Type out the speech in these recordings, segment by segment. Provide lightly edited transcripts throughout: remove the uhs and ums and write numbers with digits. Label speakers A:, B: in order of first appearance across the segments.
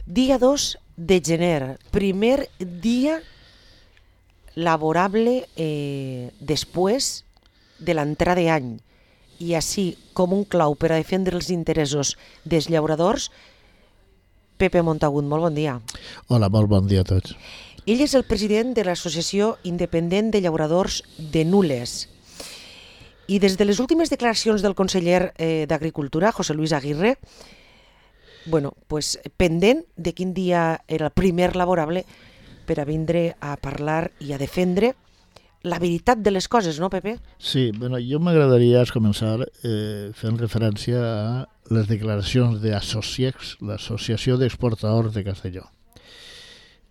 A: Dia 2 de gener, primer dia laborable després de l'entrada d'any. I així, com un clau per a defendre els interessos dels llauradors, Pepe Montagut, molt bon dia.
B: Hola, molt bon dia a tots.
A: Ell és el president de l'Associació Independent de Llauradors de Nules. I des de les últimes declaracions del conseller d'Agricultura, José Luis Aguirre, pendent de quin dia era el primer laborable per a vindre a parlar i a defendre la veritat de les coses, no, Pepe?
B: Sí, jo m'agradaria començar fent referència a les declaracions d'Associex, l'Associació d'Exportadors de Castelló.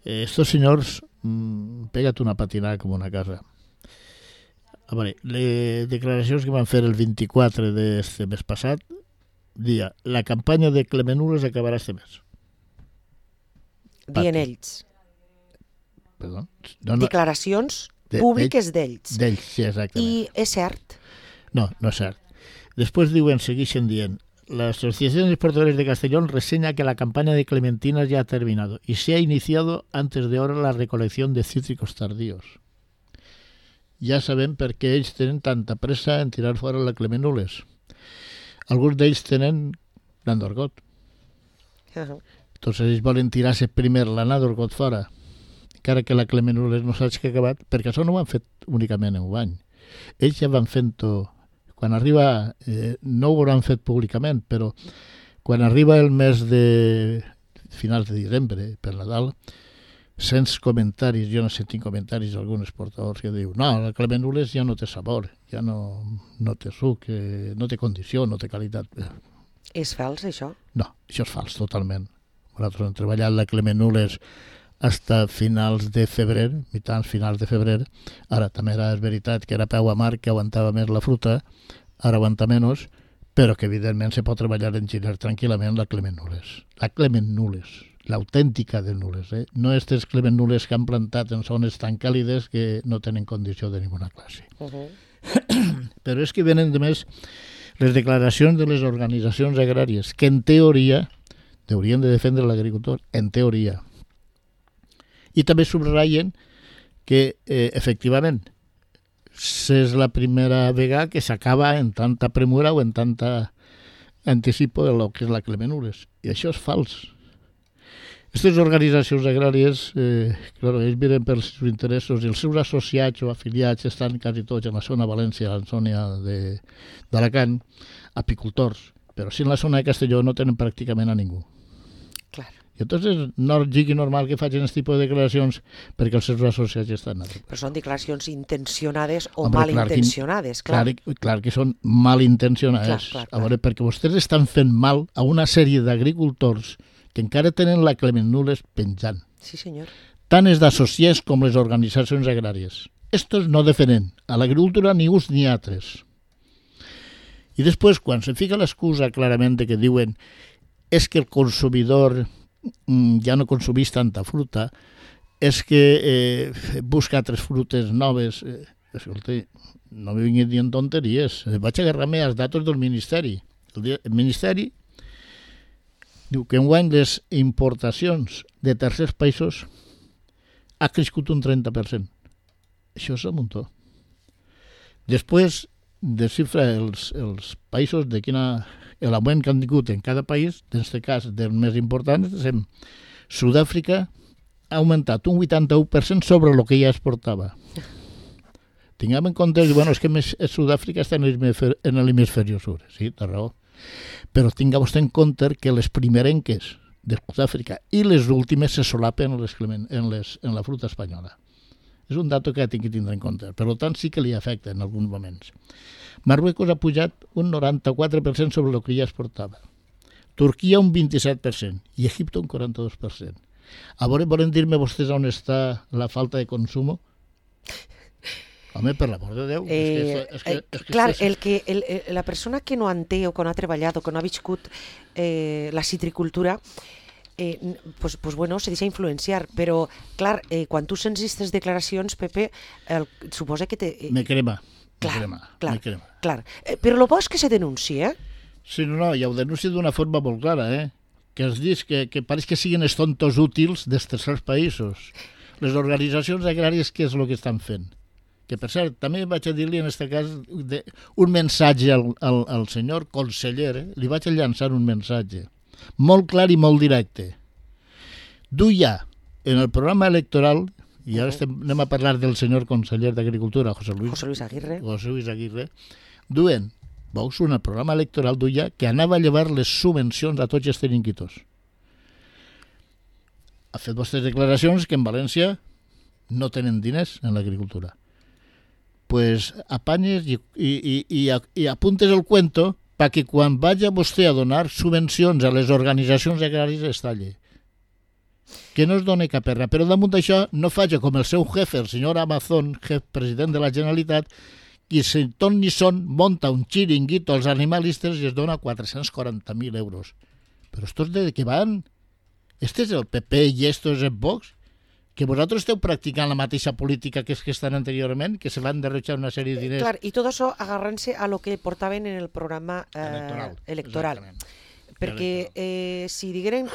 B: Estos senyors pega't una patinada com una casa. A veure, les declaracions que van fer el 24 d'este mes passat, dia, la campanya de Clemenules acabarà este mes.
A: Dient ells.
B: Perdó?
A: Declaracions públiques d'ells.
B: D'ells, sí, exactament.
A: I és cert?
B: No, no és cert. Després segueixen dient, la Asociación de Exportadores de Castellón reseña que la campaña de clementinas ya ha terminado y se ha iniciado antes de ahora la recolección de cítricos tardíos. Ja sabem per què ells tenen tanta pressa en tirar fora la Clemenules. Alguns d'ells tenen l'Andorgot. Entonces ells volen tirar-se primer l'Andorgot fora, encara que la Clemenules no s'hagi acabat, perquè això no ho han fet únicament en un any. Ells ja van fent-ho. Quan arriba, no ho hauran fet públicament, però quan arriba el mes de finals de desembre, per Nadal, sents comentaris, jo no sé, tinc comentaris d'alguns exportadors que diuen no, la Clemenules ja no té sabor, ja no té suc, no té condició, no té qualitat.
A: És fals, això?
B: No, això és fals, totalment. Nosaltres hem treballat la Clemenules fins finals de febrer, mitjans finals de febrer. Ara també és veritat que era peu amar, que aguantava més la fruta, ara aguanta menys, però que evidentment se pot treballar en gener tranquil·lament la Clemenules. La Clemenules, l'autèntica de Nules. No aquestes Clemenules que han plantat en zones tan càlides que no tenen condició de ninguna classe. Però és que venen de més les declaracions de les organitzacions agràries, que en teoria haurien de defendre l'agricultor, en teoria. I també subratllen que, efectivament, és la primera vegada que s'acaba en tanta premura o en tanta anticipo de lo que és la Clemenules. I això és fals. Aquestes organitzacions agràries, ells miren pels seus interessos i els seus associats o afiliats estan quasi tots en la zona València, en la zona d'Alacant, apicultors. Però si en la zona de Castelló no tenen pràcticament a ningú.
A: Clar.
B: I entonces no sigui normal que facin aquest tipus de declaracions perquè els seus associats estan allà.
A: Però són declaracions intencionades o malintencionades, clar.
B: Clar que són malintencionades.
A: Clar.
B: A veure, perquè vostès estan fent mal a una sèrie d'agricultors que encara tenen la Clemenules penjant.
A: Sí, senyor.
B: Tant els d'associats com les organitzacions agràries. Estos no defenen a l'agricultura ni uns ni altres. I després, quan se fica l'excusa clarament que diuen és que el consumidor ja no consumís tanta fruta, és que busca altres frutes noves. Escolta, no me vinguin dient tonteries. Vaig agarrar-me als datos del Ministeri. El Ministeri diu que enguany les importacions de tercers països ha crescut un 30%. Això és un muntó. Després desxifra els països de l'augment que han tingut en cada país, en aquest cas dels més importants, Sud-àfrica ha augmentat un 81% sobre el que ja exportava. Tinguem en compte que Sud-àfrica està en l'hemisferi sud, sí, té raó. Però tingueu en compte que les primerenques de Sud-àfrica i les últimes se solapen en la fruta espanyola. És un dato que ha de tindre en compte. Per tant, sí que li afecta en alguns moments. Marruecos ha pujat un 94% sobre el que ja exportava. Turquia un 27% i Egipte un 42%. A veure, volen dir-me vostès on està la falta de consum? Home, per l'amor de Déu.
A: Clar, la persona que no en té o que no ha treballat o que no ha viscut la citricultura se deixa influenciar, però clar, quan tu sents aquestes declaracions, Pepe, suposa que te...
B: Me crema.
A: Clar. Però el bo és que se denuncia,
B: Sí, no, ja ho denuncia d'una forma molt clara, que els dius que pareix que siguin els tontos útils dels tercers països. Les organitzacions agràries, què és el que estan fent? Que, per cert, també vaig a dir-li en aquest cas un missatge al senyor conseller, li vaig a llançar un missatge molt clar i molt directe. Du ja en el programa electoral, i ara anem a parlar del senyor conseller d'Agricultura, José Luis Aguirre, duen, veus, en el programa electoral duia que anava a llevar les subvencions a tots els trinquitos. Ha fet vostres declaracions que en València no tenen diners en l'agricultura. Pues apanyes i apuntes el cuento perquè quan vagi vostè a donar subvencions a les organitzacions agràries es talli. Que no es doni cap erra. Però damunt d'això no faci com el seu jefe, el senyor Amazon, president de la Generalitat, i si ton ni son monta un xiringuito als animalistes i es dona 440.000 euros. Però estos de què van? Este és el PP i esto és el Vox? Que vosaltres esteu practicant la mateixa política que estan anteriorment, que se van derrochar una sèrie de diners.
A: Clar, i tot això agarrant-se a lo que portaven en el programa electoral. Perquè si digueren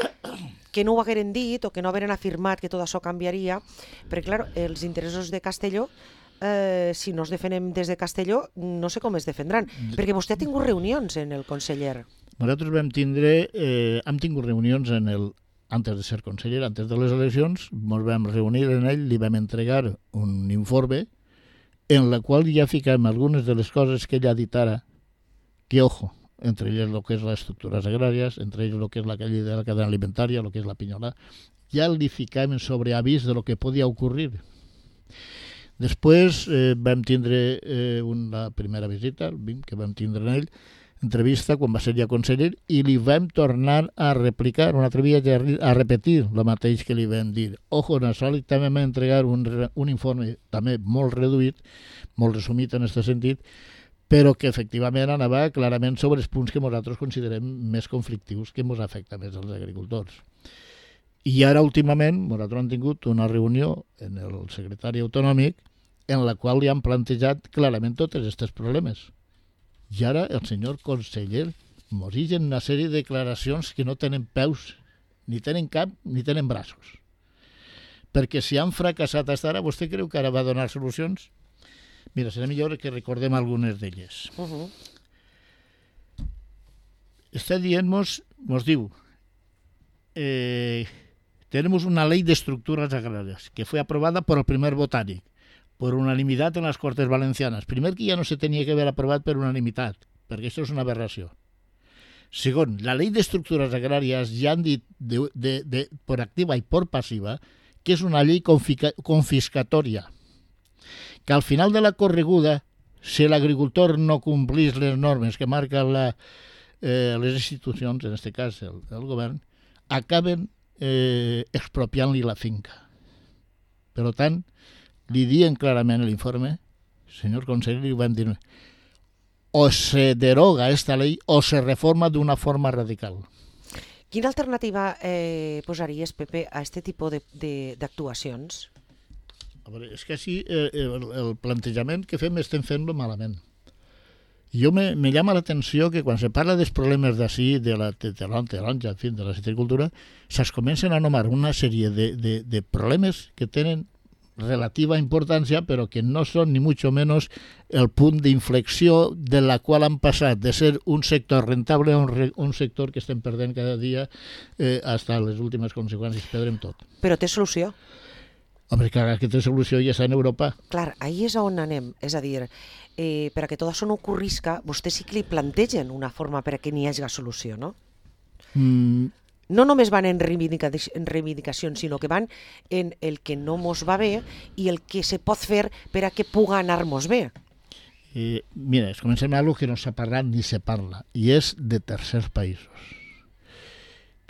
A: que no ho hagueren dit o que no hagueren afirmat que tot això canviaria, perquè clar, els interessos de Castelló, si no es defenem des de Castelló, no sé com es defendran, perquè vostè ha tingut reunions en el conseller.
B: Nosaltres hem tingut reunions antes de ser conseller, antes de les eleccions, ens vam reunir en ell, li vam entregar un informe en la qual ja ficam algunes de les coses que ell ha dit ara, que ojo, entre ells el que és les estructures agràries, entre ells el que és la llei de la cadena alimentària, el que és la pinyola, ja li ficam sobre avís de lo que podia ocurrir. Després vam tindre una primera visita, que vam tindre en ell, entrevista quan va ser ja conseller, i li vam tornar a replicar, un altre dia a repetir el mateix que li vam dir. Ojo, en això també vam entregar un informe també molt reduït, molt resumit en aquest sentit, però que efectivament anava clarament sobre els punts que nosaltres considerem més conflictius, que ens afecta més als agricultors. I ara, últimament, nosaltres hem tingut una reunió en el secretari autonòmic en la qual li han plantejat clarament tots aquests problemes. I ara el senyor conseller ens diu una sèrie de declaracions que no tenen peus, ni tenen cap, ni tenen braços. Perquè si han fracassat fins ara, vostè creu que ara va donar solucions? Mira, serà millor que recordem algunes d'elles. Està dient-nos, ens diu, tenemos una ley de estructuras agrarias que fue aprobada por el primer botánico, por unanimidad en las Cortes Valencianas. Primer, que ja no se tenia que haver aprovat per unanimitat, perquè això és una aberració. Segon, la ley de estructuras agrarias ja han dit por activa i por passiva que és una llei confiscatòria, que al final de la correguda, si l'agricultor no complís les normes que marquen les institucions, en aquest cas el govern, acaben expropiant-li la finca. Per tant, li diuen clarament l'informe, senyor conseller, li van dir, o se deroga esta ley o se reforma d'una forma radical.
A: Quina alternativa posaries, Pepe, a aquest tipus d'actuacions?
B: A veure, és que així el plantejament que fem estem fent-lo malament. Jo me llama l'atenció que quan se parla dels problemes d'ací, de la taronja, en fi, de la citricultura, se'ls comencen a anomenar una sèrie de problemes que tenen relativa importància, però que no són ni mucho menos el punt d'inflexió de la qual han passat de ser un sector rentable a un sector que estem perdent cada dia fins a les últimes conseqüències, perdrem tot.
A: Però té solució?
B: Home, que aquesta solució ja està en Europa.
A: Clar, ahí és on anem, és a dir, per a que tot això no ocorrisca, vostès sí que li plantegen una forma per a que n'hi hagi solució, no? No només van en reivindicacions, sinó que van en el que no mos va bé i el que se pot fer per a que puga anar-mos bé.
B: Mira, comencem amb alguna que no s'ha parlat ni se parla, i és de tercers països.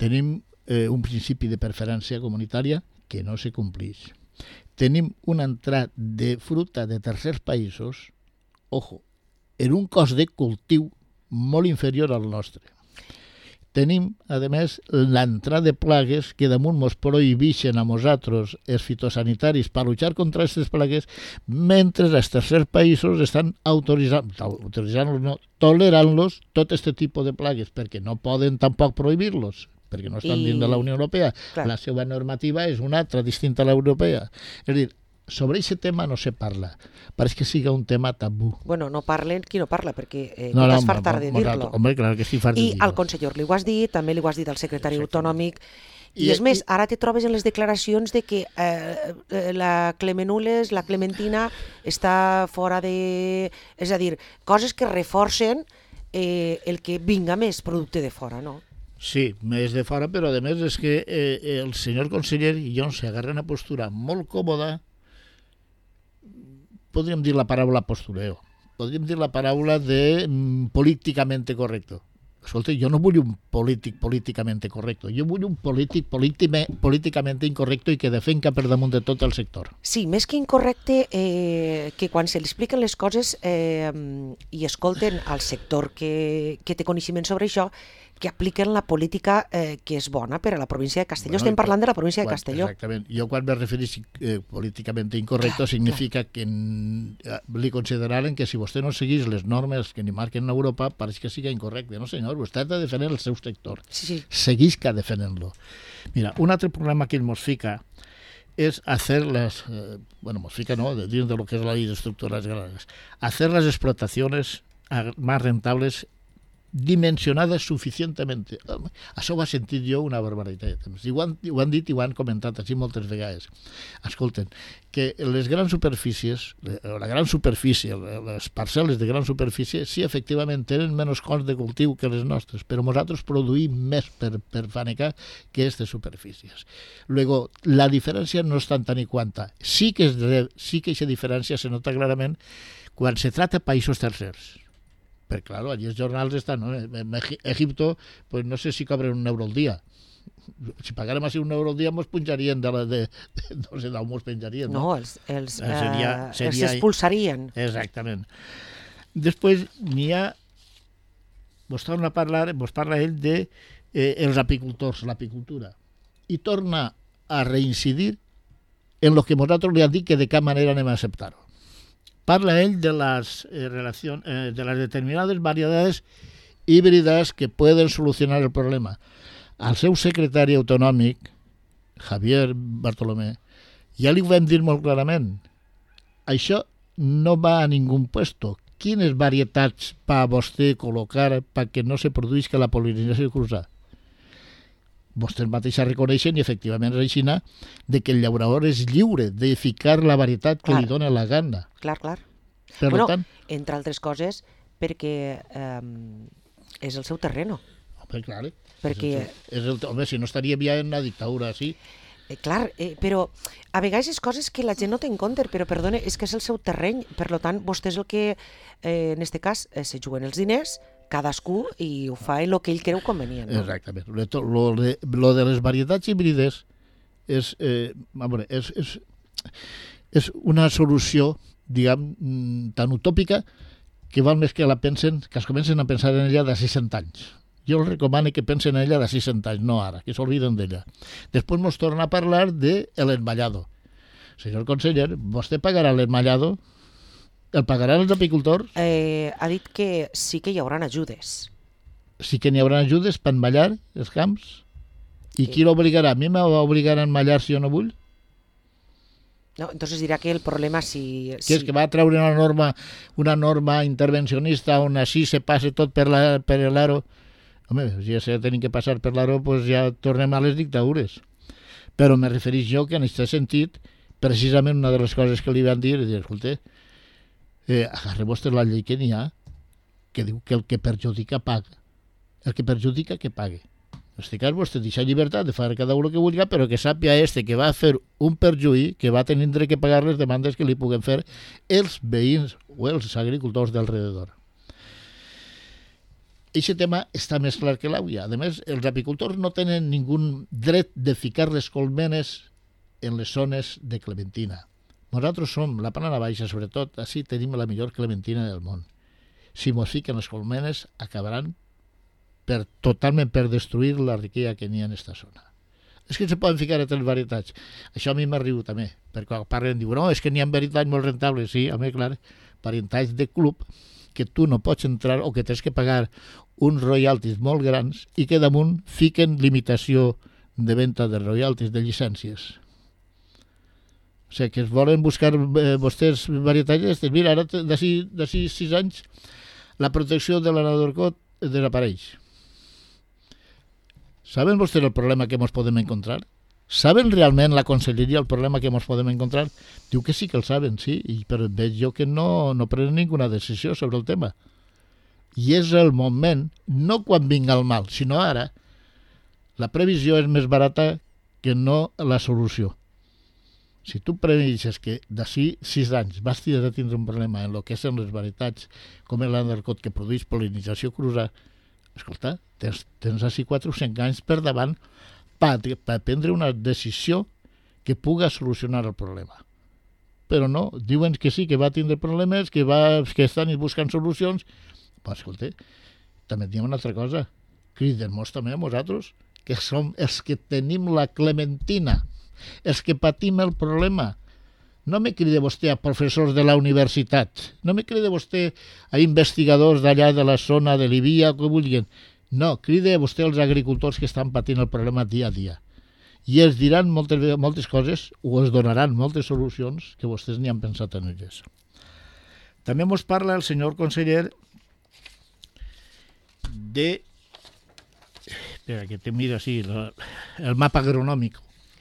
B: Tenim un principi de preferència comunitària que no se compleix. Tenim un entrat de fruita de tercers països, ojo, en un cost de cultiu molt inferior al nostre. Tenim, a més, l'entrada de plagues que damunt ens prohibeixen a nosaltres els fitosanitaris per luchar contra aquestes plagues, mentre els tercers països estan tolerant-los tot aquest tipus de plagues, perquè no poden tampoc prohibir-los, perquè no estan dins de la Unió Europea. La seva normativa és una altra, distinta a l'europea. És a dir, sobre aquest tema no se parla. Pareix que siga un tema tabú.
A: Bueno, no parlen qui no parla, perquè t'has fartar de dir-lo.
B: Home, clar que estic fart de dir-lo.
A: I al conseller li ho has dit, també li ho has dit al secretari autonòmic. I és més, ara te trobes en les declaracions de que la Clemenules, la Clementina, està fora de... És a dir, coses que reforcen el que vinga més producte de fora, no?
B: Sí, més de fora, però a més és que el senyor conseller i jo s'agarra una postura molt còmoda, podríem dir la paraula postureo, podríem dir la paraula de políticamente correcto. Escolta, jo no vull un polític políticamente correcto, jo vull un polític políticamente incorrecto i que defenca per damunt de tot el sector.
A: Sí, més que incorrecte, que quan se li expliquen les coses i escolten al sector que té coneixement sobre això, que apliquen la política que és bona per a la província de Castelló. Estem parlant de la província de Castelló.
B: Exactament. Jo quan me refereixo políticament incorrecto significa que li consideraren que si vostè no seguís les normes que ni marquen Europa, pareix que siga incorrecte. No senyor, vostè ha de defendre el seu sector.
A: Sí.
B: Seguisca defendent-lo. Mira, un altre problema que ens fica es hacer las, nos fica no, dins de lo que es la ley de estructuras agrarias, hacer las explotaciones más rentables dimensionades suficientemente. Això ho he sentit jo una barbaritat. I ho han dit i ho han comentat així moltes vegades. Escolten, que les grans superfícies, la gran superfície, les parcel·les de gran superfície, sí, efectivament, tenen menys cost de cultiu que les nostres, però nosaltres produïm més per fanecar que aquestes superfícies. Luego, la diferència no és tant i quanta. Sí que aquesta diferència se nota clarament quan se trata de països tercers. Pero claro, allí los jornals están, ¿no? En Egipto, pues no sé si cobren €1 al día. Si pagárem així €1 al dia, ens punjarien no sé d'on ens penjarien.
A: No, els expulsarien.
B: Exactament. Després n'hi ha, vos parla ell de els apicultors, l'apicultura, i torna a reincidir en lo que nosaltres li hem dit que de cap manera anem a acceptar-ho. Parla ell de las determinadas variedades híbridas que pueden solucionar el problema. Al seu secretari autonòmic, Javier Bartolomé, ja li ho vam dir molt clarament. Això no va a ningú puesto. Quines varietats va vostè col·locar perquè no se produïsca la pol·linització cruzada? Vostès mateixos reconeixen, i efectivament és així, de que el llaurador és lliure de ficar la varietat que li dona la gana.
A: Clar.
B: Per tant,
A: entre altres coses, perquè és el seu terreno.
B: Home, clar.
A: Perquè...
B: Home, si no estaríem ja en una dictadura així.
A: Clar, però a vegades és coses que la gent no té en compte, però perdona, és que és el seu terreny, per tant, vostè és el que, en aquest cas, se juguen els diners, cadascú, i ho fa en el que ell creu convenient. No?
B: Exactament. Lo de les varietats híbrides és una solució, diguem, tan utòpica que val més que es comencen a pensar en ella de 60 anys. Jo els recomano que pensen en ella de 60 anys, no ara, que s'obliden d'ella. Després ens torna a parlar de l'enmallado. Senyor conseller, vostè pagarà l'enmallado? El pagaran els apicultors?
A: Ha dit que sí que hi haurà ajudes.
B: Sí que n'hi haurà ajudes per enmallar els camps? I qui l'obligarà? A mi m'obligarà a enmallar si jo no vull?
A: No, entonces dirà que el problema si...
B: Que és que va treure una norma intervencionista on així se passe tot per l'aro. Home, si ja tenim que passar per l'aro, doncs ja tornem a les dictadures. Però me refereix jo que en aquest sentit, precisament una de les coses que li van dir, és dir, escolta, agarre vostè la llei que n'hi ha, que diu que el que perjudica paga. El que perjudica que pague. En aquest cas vostè deixa llibertat de fer cada un el que vulgui, però que sàpia que va fer un perjuí que va tenir que pagar les demandes que li puguen fer els veïns o els agricultors d'alrededor. Aquest tema està més clar que l'aigua. A més, els apicultors no tenen ningú dret de ficar les colmenes en les zones de clementina. Nosaltres som, la Plana Baixa, sobretot, així tenim la millor clementina del món. Si mos fiquen les colmenes, acabaran totalment per destruir la riquesa que n'hi ha en aquesta zona. És que se poden ficar altres varietats. Això a mi m'arriba també, perquè quan parlen diuen, no, és que n'hi ha varietats molt rentables. Sí, home, clar, varietats de club, que tu no pots entrar o que tens que pagar uns royalties molt grans i que damunt fiquen limitació de venda de royalties, de llicències. O sigui, que es volen buscar vostès varietats. Mira, ara d'ací 6 anys la protecció de l'Anadorcot desapareix. ¿Saben vostès el problema que ens podem encontrar? ¿Saben realment la conselleria el problema que ens podem encontrar? Diu que sí que el saben, sí, però veig jo que no prenen ninguna decisió sobre el tema. I és el moment, no quan vinga el mal, sinó ara. La previsió és més barata que no la solució. Si tu preveixes que d'ací 6 anys vas tindre un problema en el que són les varietats, com és l'Anadorcot que produeix pol·linització cruza, escolta, tens així 4 o 5 anys per davant per prendre una decisió que puga solucionar el problema. Però no, diuen que sí, que va tindre problemes, que estan buscant solucions. Però escolta, també diem una altra cosa. Criden-nos també a nosaltres, que som els que tenim la clementina, els que patim el problema. No me cride vostè a professors de la universitat, no me cride vostè a investigadors d'allà de la zona de Libia, que vulguin. No, cride vostè als agricultors que estan patint el problema dia a dia. I els diran moltes coses o els donaran moltes solucions que vostès ni han pensat en elles. També ens parla el senyor conseller de... Espera, que te mira así, el mapa agronòmic.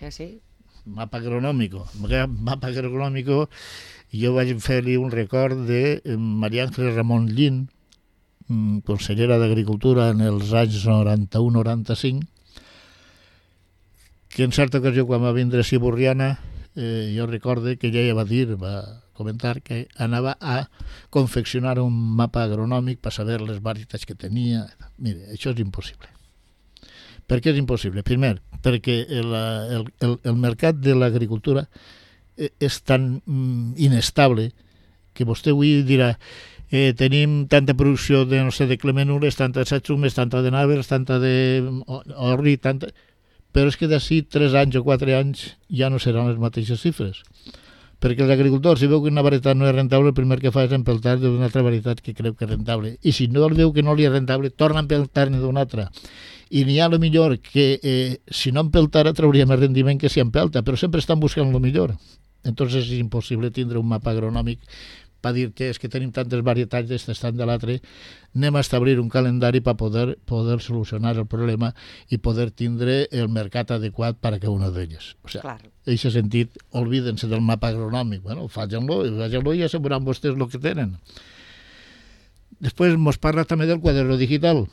A: Sí?
B: Mapa agronòmico. Mapa agronòmico, jo vaig fer-li un record de Maria Àngels Ramon Llin, consellera d'Agricultura en els anys 91-95, que en certa ocasió, quan va vindre a Siburriana, jo recorde que ella va comentar que anava a confeccionar un mapa agronòmic per saber les varietats que tenia. Mire, això és impossible. Per què és impossible? Primer, perquè el mercat de l'agricultura és tan inestable que vostè avui dirà tenim tanta producció de, no sé, de clemenules, tanta de satsumes, tanta de navers, tanta de orri, tanta... Però és que d'ací 3 anys o 4 anys ja no seran les mateixes xifres. Perquè els agricultors, si veu que una varietat no és rentable, el primer que fa és empeltar d'una altra varietat que creu que és rentable. I si no el veu que no li és rentable, torna a empeltar-ne d'una altra. I n'hi ha el millor que si no empeltara trauria més rendiment que si empelta, però sempre estan buscant el millor. Entonces és impossible tindre un mapa agronòmic per dir-te és que tenim tantes varietats d'estes, tant de l'altre, anem a establir un calendari per poder solucionar el problema i poder tindre el mercat adequat per a cada una d'elles. O sigui, en aquest sentit, olvídense del mapa agronòmic. Bueno, facin-lo i ja sabran vostès el que tenen. Després ens parla també del quaderno digital.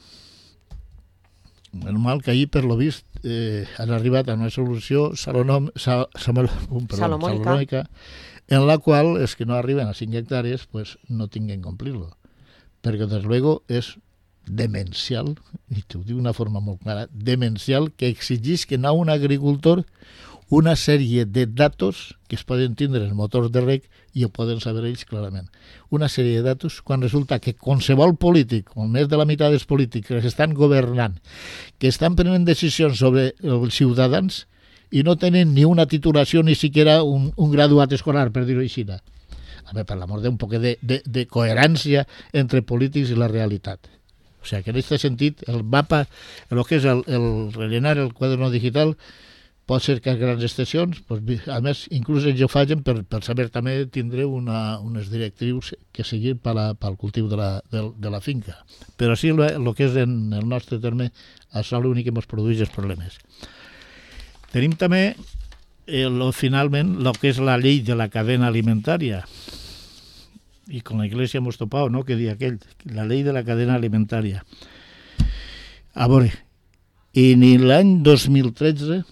B: Normal que ahir, per lo vist, han arribat a una solució salomònica, en la qual els que no arriben a 5 hectàrees pues, no tinguen que complir-lo. Perquè, des luego, és demencial, i t'ho dic d'una forma molt clara, demencial que exigís a un agricultor una sèrie de datos que es poden tindre en motors de reg i ho poden saber ells clarament. Una sèrie de datos quan resulta que qualsevol polític, o més de la meitat dels polítics que estan governant, que estan prenent decisions sobre els ciutadans i no tenen ni una titulació ni siquiera un graduat escolar, per dir-ho així. A veure, per l'amor d'un poc de coherència entre polítics i la realitat. O sigui, que en aquest sentit, el mapa, el que és el rellenar el quaderno digital, pot ser que a grans extensions, a més, inclús ells ho facin per saber també tindre unes directrius que siguin pel cultiu de la finca. Però sí, el que és en el nostre terme, això l'únic que ens produeix els problemes. Tenim també, finalment, el que és la llei de la cadena alimentària. I con la Iglesia hemos topado, ¿no?, que di aquell, la llei de la cadena alimentària. A veure, en l'any 2013,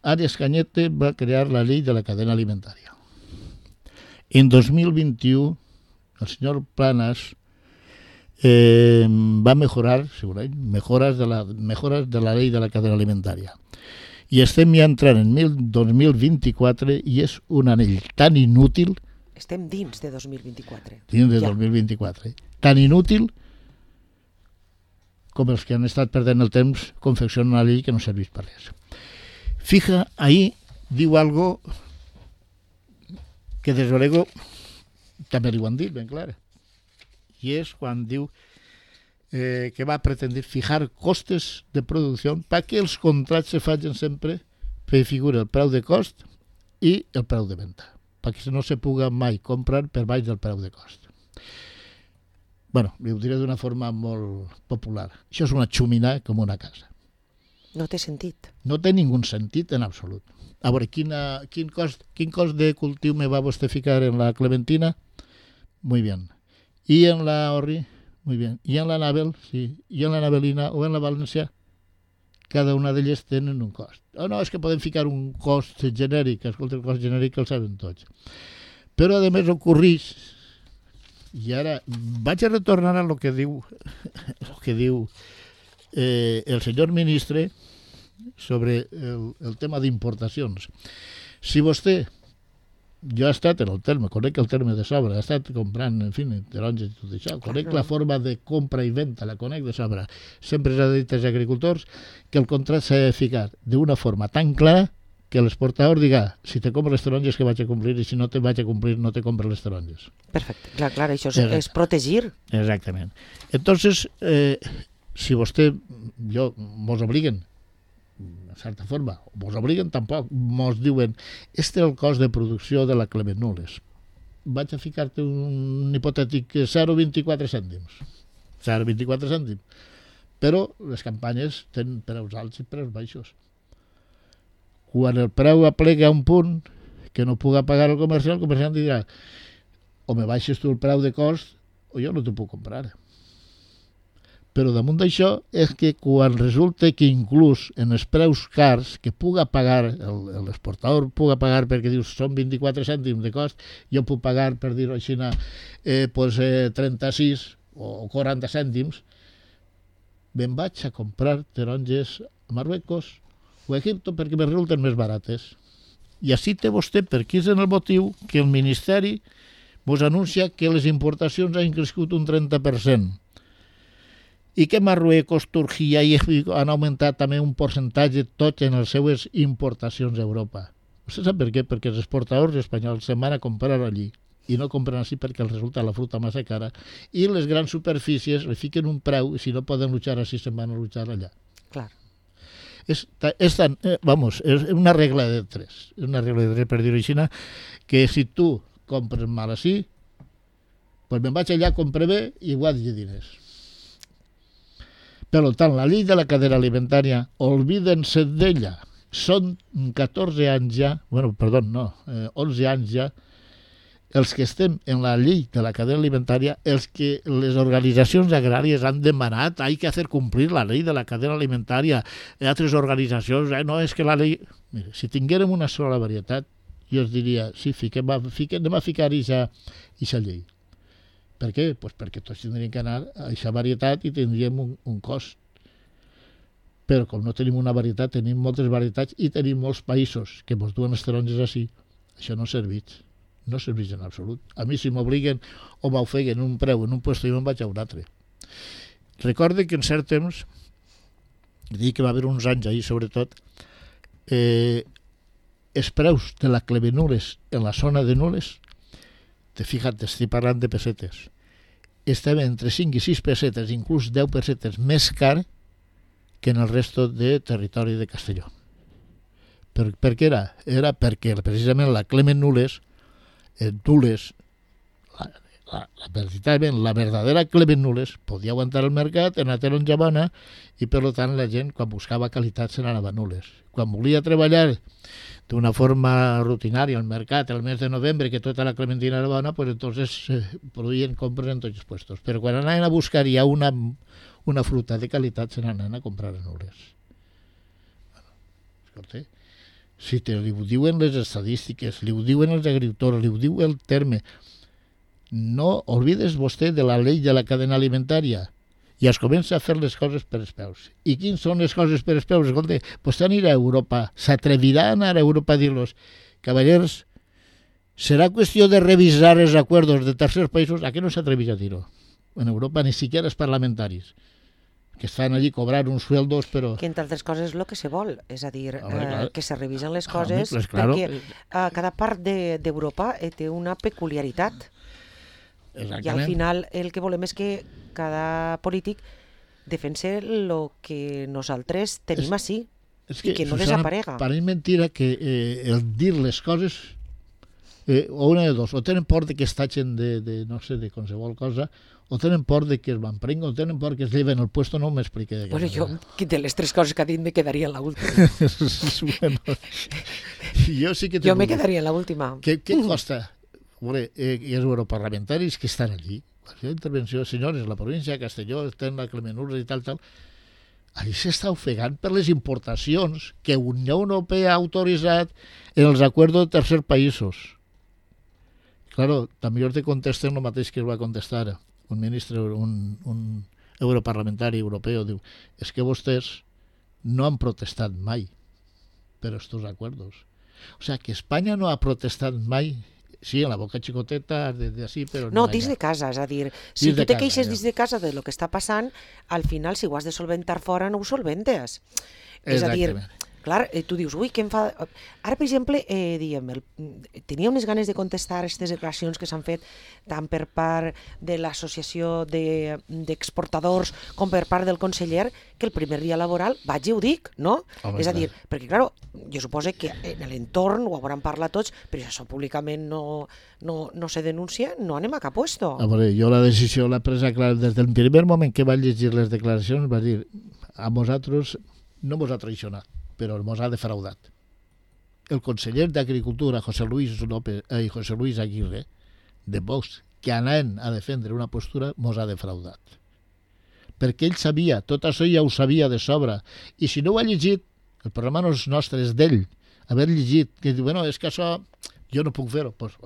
B: Arias Cañete va crear la llei de la cadena alimentària. En 2021, el senyor Planas va mejorar, segurament, mejoras de la llei de la cadena alimentària. I estem ja entrant en 2024 i és un anell tan inútil...
A: Estem dins de 2024.
B: Dins de 2024. Tan inútil com els que han estat perdent el temps confeccionant una llei que no serveix per res. Fija, ahí diu algo que des luego també li ho han dit ben clar. i és quan diu que va pretendre fijar costes de producció perquè els contrats se facin sempre per figura el preu de cost i el preu de venda, perquè no se puga mai comprar per baix del preu de cost. Bueno, ho diré d'una forma molt popular. Això és una xumina com una casa.
A: No té sentit.
B: No té ningú sentit en absolut. A veure, quin cost de cultiu me va vostè ficar en la clementina? Muy bien. I en la orri? Muy bien. I en la navel? Sí. I en la navelina o en la valencià? Cada una d'elles tenen un cost. No, és que podem ficar un cost genèric. Escolta, el cost genèric el saben tots. Però, a més, ocorreix. I ara vaig a retornar a lo que diu el senyor ministre sobre el tema d'importacions. Si vostè, jo he estat en el terme, conec el terme de sobre, he estat comprant, en fi, taronges i tot això, conec la forma de compra i venda, la conec de sobre. Sempre s'ha dit als agricultors que el contracte s'ha de ficar d'una forma tan clara que l'exportador diga, si te compro les taronges que vaig a complir i si no te vaig a complir no te compro les taronges.
A: Perfecte, clar, això és protegir.
B: Exactament. Entonces, si vostè, mos obliguen, de certa forma, mos obliguen tampoc, mos diuen, este és el cost de producció de la Clement Nules. Vaig a ficar-te un hipotètic 0,24 cèntims. 0,24 cèntims. Però les campanyes tenen preus alts i preus baixos. Quan el preu aplega a un punt que no puga pagar el comerciant dirà o me baixes tu el preu de cost o jo no t'ho puc comprar. Però damunt d'això és que quan resulta que inclús en els preus cars que puga pagar, l'exportador puga pagar perquè dius són 24 cèntims de cost, jo puc pagar, per dir-ho així, 36 o 40 cèntims, me'n vaig a comprar taronges a Marruecos o a Egipte perquè me resulten més barates. I així té vostè, per aquí és en el motiu que el Ministeri vos anuncia que les importacions han crescut un 30% i que Marruecos, Turquia i Egipte han augmentat també un percentatge tots en les seues importacions a Europa. Vostè sap per què? Perquè els exportadors espanyols se'n van a comprar allí i no compren així perquè els resulta la fruita massa cara i les grans superfícies li fiquen un preu i si no poden luchar així se'n van a luchar allà.
A: Clar.
B: És una regla de tres. És una regla de tres, per dir-ho així, que si tu compres mal així, pues me'n vaig allà, compre bé i guanyo diners. Per tant, la llei de la cadena alimentària, olvídense d'ella. Són 14 anys ja, 11 anys ja, els que estem en la llei de la cadena alimentària, els que les organitzacions agràries han demanat, hay que hacer cumplir la ley de la cadena alimentaria, altres organitzacions, no és que la llei... Mira, si tinguérem una sola varietat, jo us diria, sí, anem a ficar aquesta llei. Per què? Pues perquè tots tindríem que anar a aquesta varietat i tindríem un cost. Però com no tenim una varietat, tenim moltes varietats i tenim molts països que ens duen les taronges així, això no serveix. No serveix en absolut. A mi si m'obliguen o m'ofeguen un preu en un lloc i me'n vaig a un altre. Recorde que en cert temps, dic que va haver uns anys ahir sobretot, els preus de la Clement Nules en la zona de Nules, fixa't, estic parlant de pessetes, estaven entre 5 i 6 pessetes, inclús 10 pessetes més car que en el resto de territori de Castelló. Per què era? Era perquè precisament la Clement Nules, la verdadera Clement Nules podia aguantar el mercat en la taronja bona i per tant la gent quan buscava qualitat se n'anava a Nules. Quan volia treballar d'una forma rutinària al mercat el mes de novembre que tota la clementina era bona, pues entonces produïen compres en tots els puestos. Però quan anaven a buscar ja una fruta de qualitat se n'anaven a comprar a Nules. Escolta, si li ho diuen les estadístiques, li ho diuen els agricultors, li ho diu el terme, no oblides vostè de la llei de la cadena alimentària i es comença a fer les coses per els peus. I quins són les coses per els peus? Escolta, vostè anirà a Europa, s'atrevirà a anar a Europa a dir-los, cavallers, serà qüestió de revisar els acords de tercers països? A què no s'atreveix a dir-ho? En Europa ni siquiera els parlamentaris, que estan allí cobrant uns sueldos, però...
A: Que entre altres coses és el que se vol, és a dir, que se revisen les coses, perquè cada part d'Europa té una peculiaritat. I al final el que volem és que cada polític defense el que nosaltres tenim així i que no desaparega.
B: Pareix mentira que el dir les coses, o una de dos, o tenen por de que es tatxen de no sé, de qualsevol cosa, o tenen por de que es van prenguen, o tenen por que es lleven el puesto, no m'explique.
A: Bueno, jo, de les tres coses que ha dit, me quedaria en l'última.
B: Bueno, jo sí que...
A: Jo me quedaria en l'última.
B: Què costa? Veure, els europarlamentaris que estan allí, la intervenció, senyores, la província de Castelló, estan la Clemenura i tal, allí s'està ofegant per les importacions que Unió Europea ha autoritzat en els acords de tercers països. Claro, també te contesten el mateix que es va contestar un ministre, un europarlamentari europeu, diu, és que vostès no han protestat mai per estos acuerdos. O sea, que Espanya no ha protestat mai. Sí, en la boca xicoteta, d'ací, però
A: no, dins de casa, és a dir, si tu te queixes dins de casa de lo que està passant, al final, si ho has de solventar fora, no ho solventes. És a dir, clar, tu dius, ui, què em fa... Ara, per exemple, tenia unes ganes de contestar aquestes declaracions que s'han fet tant per part de l'associació d'exportadors com per part del conseller, que el primer dia laboral vaig i ho dic, no? És a dir, perquè, clar, jo suposo que en l'entorn ho hauran parlat tots, però si això públicament no se denuncia, no anem a cap puesto.
B: A veure, jo la decisió l'he presa, clar, des del primer moment que vaig llegir les declaracions, vaig dir, a vosaltres no vos ha traicionat, però mos ha defraudat. El conseller d'Agricultura, José Luis Aguirre, de Vox, que anaven a defendre una postura, mos ha defraudat. Perquè ell sabia, tot això ja ho sabia de sobre, i si no ho ha llegit, el programa no és nostre, és d'ell, haver llegit, que diu, bueno, és que això jo no puc fer-ho. Pues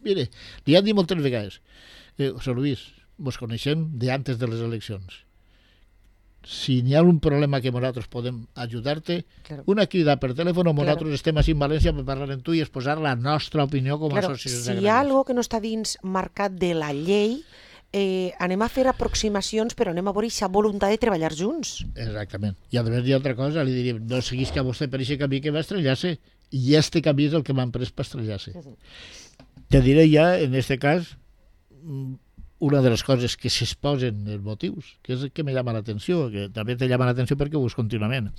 B: mire, li han dit moltes vegades, José Luis, vos coneixem d'antes de les eleccions. Si n'hi ha un problema que nosaltres podem ajudar-te, una crida per telèfon, nosaltres estem així en València per parlar amb tu i exposar la nostra opinió com a associació de
A: grans. Si hi ha alguna que no està dins marcat de la llei, anem a fer aproximacions, però anem a veure aquesta voluntat de treballar junts.
B: Exactament. I a més hi ha altra cosa, li diríem, no seguís que vostè per aquest camí que va estrellar-se, i este camí és el que m'han pres per estrellar-se. Te diré ja, en este cas, una de les coses que s'exposen els motius, que és el que me llama l'atenció, que també te llama l'atenció perquè ho veus contínuament.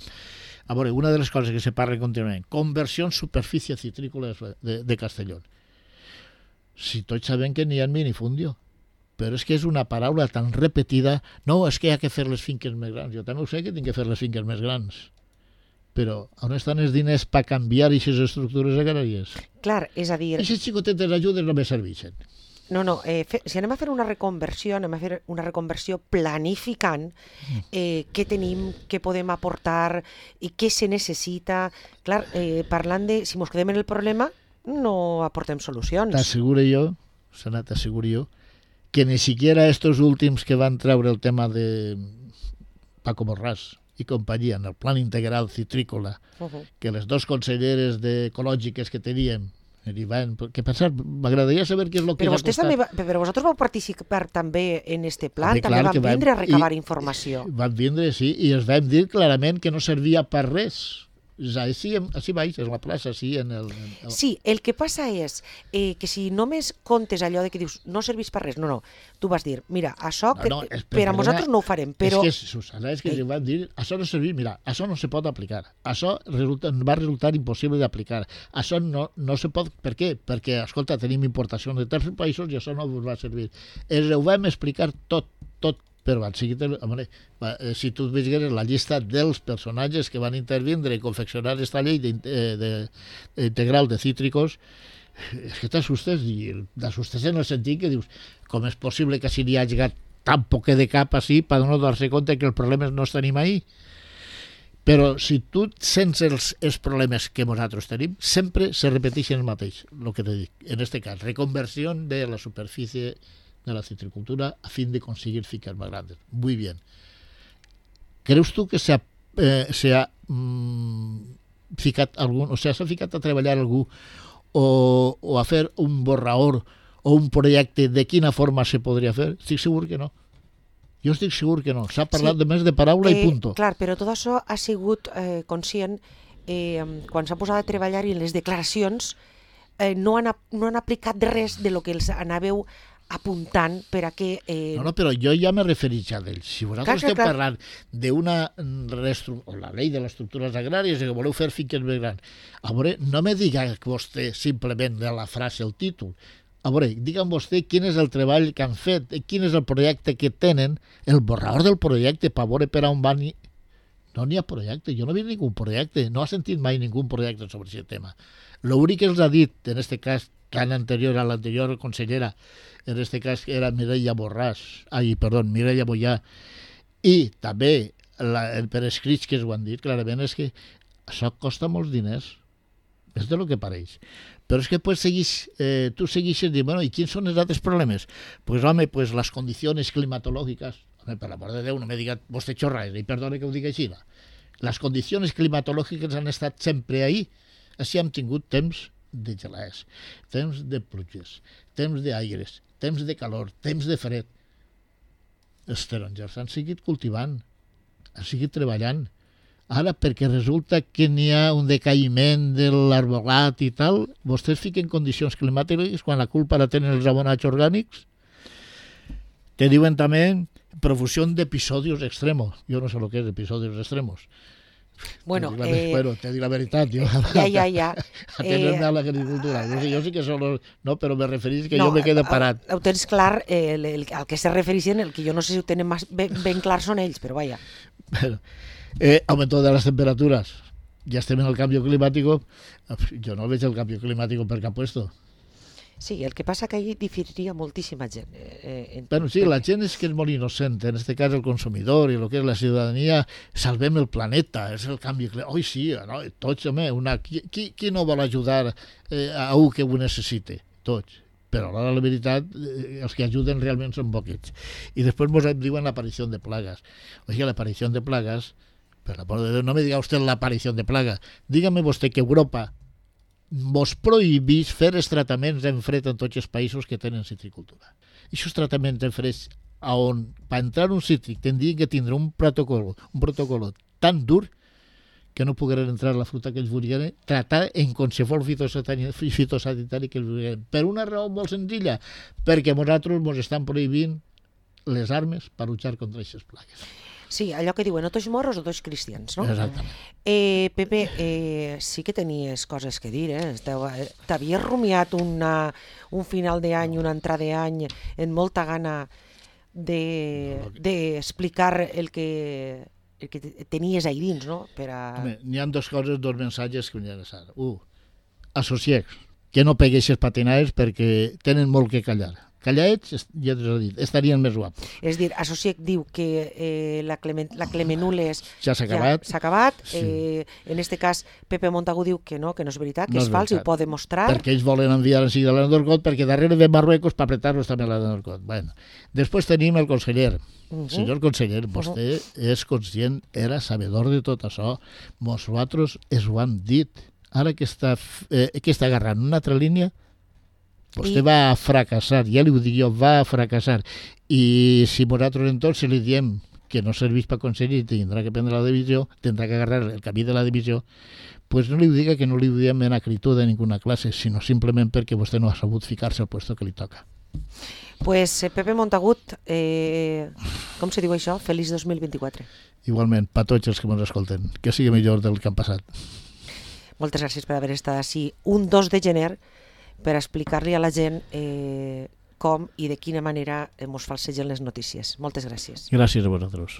B: A veure, una de les coses que se parla contínuament, conversió en superfície citrícola de Castelló. Si tots sabem que n'hi ha minifundio, però és que és una paraula tan repetida, no, és que hi ha que fer les finques més grans. Jo també ho sé que tinc que fer les finques més grans, però on estan els diners per canviar aquestes estructures agràries?
A: Clar, és a dir...
B: Aquestes xicotetes ajudes no me serveixen.
A: No, si anem a fer una reconversió, anem a fer una reconversió planificant què tenim, què podem aportar i què se necessita. Clar, parlant de si ens quedem en el problema, no aportem solucions.
B: T'asseguro jo, que ni siquiera estos últims que van treure el tema de Paco Borràs i companyia en el Plan Integral Citrícola, que les dos conselleres ecològiques que teníem, que pensar, m'agradaria saber què és el que
A: però vostès també, però vosaltres vau participar també en este plan, també van vindre a recabar informació.
B: Van vindre, sí, i els vam dir clarament que no servia per res. Així baix, és la plaça, així en el...
A: Sí, el que passa és que si només comptes allò de que dius no servís per res, no, tu vas dir, mira, això per a nosaltres no ho farem, però...
B: És que, Susana, és que van dir, això no servís, mira, això no se pot aplicar, això va resultar impossible d'aplicar, això no se pot, per què? Perquè, escolta, tenim importacions de tercers països i això no us va servir. Ho vam explicar tot, però si tu veies la llista dels personatges que van intervindre i confeccionar aquesta llei integral de cítricos, és que t'assustes, i t'assustes en el sentit que dius, com és possible que si n'hi hagi tan poquet de cap així per no dar-se compte que els problemes no els tenim ahí? Però si tu sents els problemes que nosaltres tenim, sempre se repeteixen el mateix, el que te dic. En aquest cas, reconversió de la superfície de la citricultura a fin de conseguir finques más grandes. Muy bien. ¿Creus tú que s'ha ficat algú, o sea, s'ha ficat a treballar algú o a fer un borrador o un projecte de quina forma se podria fer? Estic segur que no. Jo estic segur que no. S'ha parlat només de paraula i punto.
A: Clar, però tot això ha sigut conscient quan s'ha posat a treballar i en les declaracions no han aplicat res de lo que els anàveu apuntant per a que...
B: No, però jo ja m'he referit ja d'ells. Si vosaltres esteu parlant d'una la llei de les estructures agràries i que voleu fer finques més grans, a veure, no me diga vostè simplement de la frase, el títol. A veure, digue'm vostè quin és el treball que han fet, quin és el projecte que tenen, el borrador del projecte, per veure per on van... No n'hi ha projecte, jo no he vist ningú projecte, no ha sentit mai ningú projecte sobre aquest tema. L'únic que els ha dit, en aquest cas, tan anterior a l'anterior consellera, en aquest cas era Mireia Mollà, i també per escrits que ho han dit clarament, és que això costa molts diners, és del que pareix. Però és que pues, tu segueixes dient, bueno, i quins són els altres problemes? Pues home, pues les condicions climatològiques, per l'amor de Déu, no m'he dit vostè xorrades, i perdone que ho digui així. Les condicions climatològiques han estat sempre ahí. Així hem tingut temps de gelades, temps de pluges, temps d'aires, temps de calor, temps de fred. Els taronges han seguit cultivant, han seguit treballant. Ara, perquè resulta que n'hi ha un decaïment de l'arbolat i tal, vostès fiquen condicions climàtiques quan la culpa la tenen els abonats orgànics. Te diuen també profusión de episodios extremos. Yo no sé lo que es episodios extremos.
A: Bueno,
B: te dic la veritat. Jo,
A: ja.
B: Atenent a l'agricultura. Jo sí que solo... No, però me referís que jo me quedo parat.
A: Ho tens clar, al que se refereixen, el que jo no sé si ho tenen ben clar són ells, però vaja.
B: Bueno, aumento de las temperaturas. Ya estem en el cambio climático. Jo no veig el cambio climático per cap puesto.
A: Sí, el que passa que ahí diferiria moltíssima gent.
B: Bueno, sí, la gent és que és molt innocent, en este cas el consumidor i el que és la ciutadania, salvem el planeta, és el canvi climàtic. Oi, sí, no? Tots, home, qui no vol ajudar a un que ho necessite? Tots. Però a la veritat, els que ajuden realment són poquets. I després ens diuen l'aparició de plagues. Oiga, l'aparició de plagues, per l'amor de Déu, no me diga usted l'aparició de plaga. Dígame vostè que Europa mos prohibís fer els tractaments en fred en tots els països que tenen citricultura. I aquests tractaments en fred, on per entrar un cítric tindrien que tindre un protocol tan dur que no pogueren entrar la fruita que ells volien tratar en qualsevol fitosanitari que ells volien. Per una raó molt senzilla, perquè nosaltres ens estan prohibint les armes per luchar contra aquestes plagues.
A: Sí, allò que diuen, o tots moros o tots cristians, no?
B: Exactament.
A: Pepe, sí que tenies coses que dir, t'havies rumiat un final d'any, una entrada d'any, en molta gana d'explicar el que tenies ahí dins, no?
B: N'hi ha dos mensatges que m'hi ha deixat. Associats, que no pegueixes patinades perquè tenen molt que callar. Calladets, ja t'ho he dit, estarien més guapos.
A: És dir, Associec diu que la Clemenules
B: ja s'ha acabat.
A: Sí. En este cas, Pepe Montagu diu que no és veritat, que és fals i ho pot demostrar.
B: Perquè ells volen enviar en seguida l'Andorcot, perquè darrere de Marruecos per apretar-los també l'Andorcot. Bueno, després tenim el conseller. Senyor conseller, vostè és conscient, era sabedor de tot això. Nosaltres es ho han dit. Ara que està agarrant una altra línia, vostè va fracassar, ja li ho dic jo, va fracassar. I si nosaltres entonces li diem que no serveix per conseller i tindrà que prendre la divisió, tindrà que agarrar el camí de la divisió, pues no li diga que no li diem en acritud de ninguna classe, sinó simplement perquè vostè no ha sabut ficar-se al puesto que li toca.
A: Pues Pepe Montagut, com se diu això? Feliç 2024.
B: Igualment, per tots els que ens escolten, que sigui millor del que han passat.
A: Moltes gràcies per haver estat així un 2 de gener per explicar-li a la gent com i de quina manera ens falsegen les notícies. Moltes gràcies.
B: Gràcies a vosaltres.